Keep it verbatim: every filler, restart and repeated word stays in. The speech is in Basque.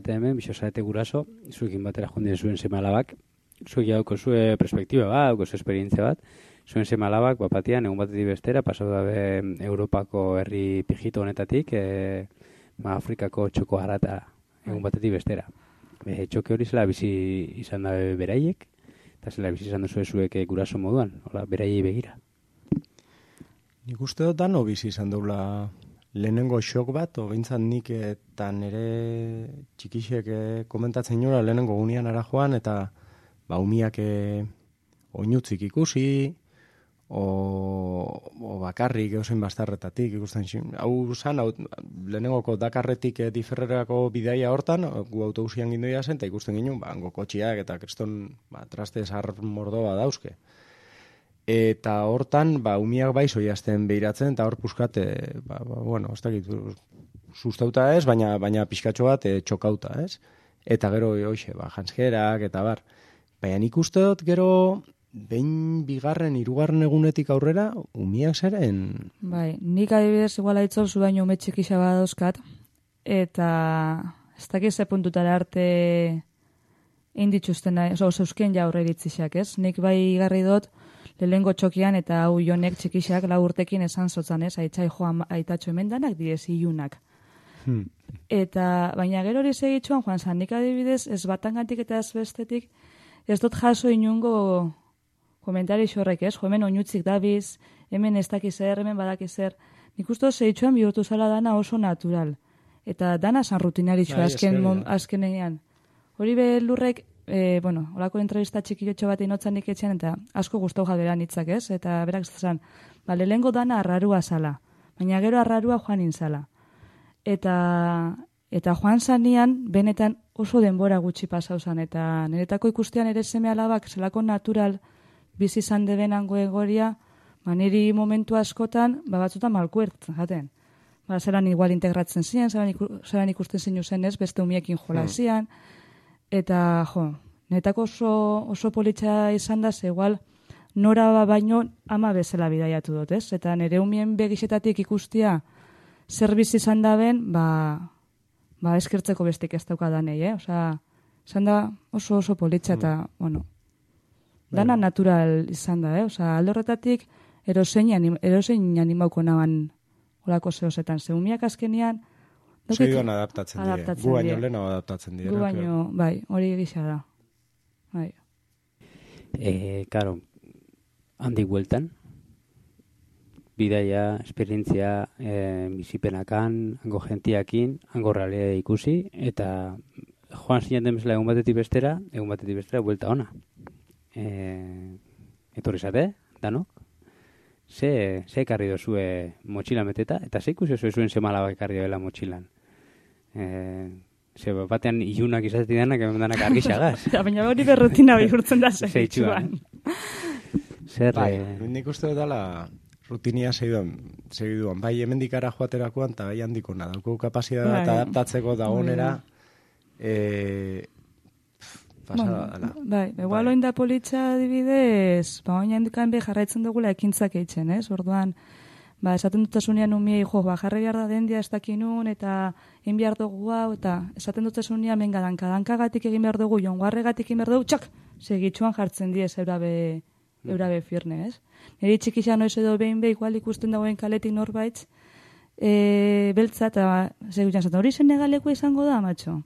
Eta hemen, bisosarete guraso, zuekin batera jondien zuen seme alabak, zuek jauko zue perspektiba bat, hauko zue esperientzia bat, zuen seme alabak, bapatian, egun batetik bestera, pasau dabe Europako herri pijito honetatik, e, ma Afrikako txoko harata egun batetik bestera. E, txoke hori zela bizi izan dabe beraiek, eta zela bizi izan duzue zuek guraso moduan, hola, beraiei begira. Nik uste dut dano bizi izan daula lehenengo xok bat, o bintzat nik eta nire txikixek komentatzen niola lehenengo gunean ara joan, eta ba, umiak e, oinutzik ikusi, o, o bakarrik eusen bastarretatik ikusten zin. Hau zan, hau, lehenengoko Dakarretik e, Diferrerako bidaia hortan, gu autobusian gindoia zen, eta ikusten ginen, ba, kotxiak eta kriston ba, traste zar mordoa dauzke. Eta hortan, ba, umiak bai zoiazten behiratzen, eta hor puskat, e, ba, ba, bueno, ez dakit, sustauta ez, baina, baina pixkatxo bat e, txokauta, ez? Eta gero, hoxe, ba, janskerak, eta bar. Baina nik uste dut, gero, behin bigarren, hirugarren egunetik aurrera, umiak zeren... Bai, nik adibidez, igual aitzol zu baino ume txikisa badauzkat, eta ez dakiz ze puntutara arte inditxuzten, oso, zeuzken ja aurre iritzixak, ez? Nik bai garri dut, lehengo txokian eta hau jonek txikixak lau urtekin esan zotzan, ez? Aitzai joan aitatxo emendanak, direz ilunak. Hmm. Eta, baina gero hori segitxuan, joan zan, nik adibidez, ez batangatik eta ez bestetik, ez dut jaso inungo komentari xorrek, ez? Jo, hemen oinutzik dabiz, hemen ez dakizer, hemen badakizer. Nik uste segitxuan bihurtu zala dana oso natural. Eta dana san rutinaritxo azken, azkenean. Hori belurrek, E, bueno, holako entrevista txikilotxo bat inotzan nik etxean, eta asko gustau jaberan hitzak, ez? Eta berak zan, ba, lehengo dana arrarua zala, baina gero arrarua joan inzala. Eta, eta joan zanian, benetan oso denbora gutxi pasau zan, eta niretako ikustean ere seme alabak zelako natural bizi izan debenango egoria, ba, niri momentu askotan, ba, batzutan malkuert, jaten. Ba, zelan igual integratzen ziren, zelan, iku, zelan ikusten zinu zen ez, beste umiekin jola zian, eta, jo, netako oso, oso politxa izan da, ze igual nora baino ama bezala bidaiatu dut, ez? Eta nire umien begixetatik ikustia zer bizi izan da ben, ba, ba eskertzeko bestik ez daukadanei, eh? Osa, izan da oso oso politxa eta, mm. bueno, dana bueno. Natural izan da, eh? Osa, alde horretatik erosein, anim, erosein animauko naban olako zehozetan. Ze umiak azkenian, Segiduan adaptatzen dire. Gu baino lehenago adaptatzen dire. Gu baino, bai, hori gisa da. Bai. Eh, claro, handik bueltan, bidaia, esperientzia, eh, bizipenakan, hango gentiakin, hango realea ikusi, eta joan zinaten bezala egun batetik bestera, egun batetik bestera, buelta ona. Eh, etorri zate, danok? Ze, ze ekarri dozue motxila meteta, eta ze ikusi zuen semalabak ekarri doela motxilan. Eh, ze batean ilunak izatetik danak, hemen danak argixagaz. Baina hori berrutina bihurtzen da zeitxuan. Zer, bai, eh... nik uste dut dala rutinia segiduan, segiduan. Bai, hemendik ara joaterakoan, eta bai handiko nadalko kapazitatea bai. Eta adaptatzeko dagonera, eh, pasada dala. Bai, igual bai. Oinda politxa adibidez, ba, oin handikan be jarraitzen dugula ekintzak eitzen, ez? Orduan, ba, esaten dutasunean umiei, jo, ba, jarri behar da dendia ez dakinun, eta egin behar dugu hau, eta esaten dutasunean menga danka, dankagatik egin behar dugu, jonguarregatik egin behar dugu, txak, segitxuan jartzen diez eurabe, eurabe firne, ez? Neri txikisa noiz edo behin be, igual ikusten dagoen kaletik norbaitz, e, beltza, eta segitxan zaten, hori zen negaleko izango da, matxo?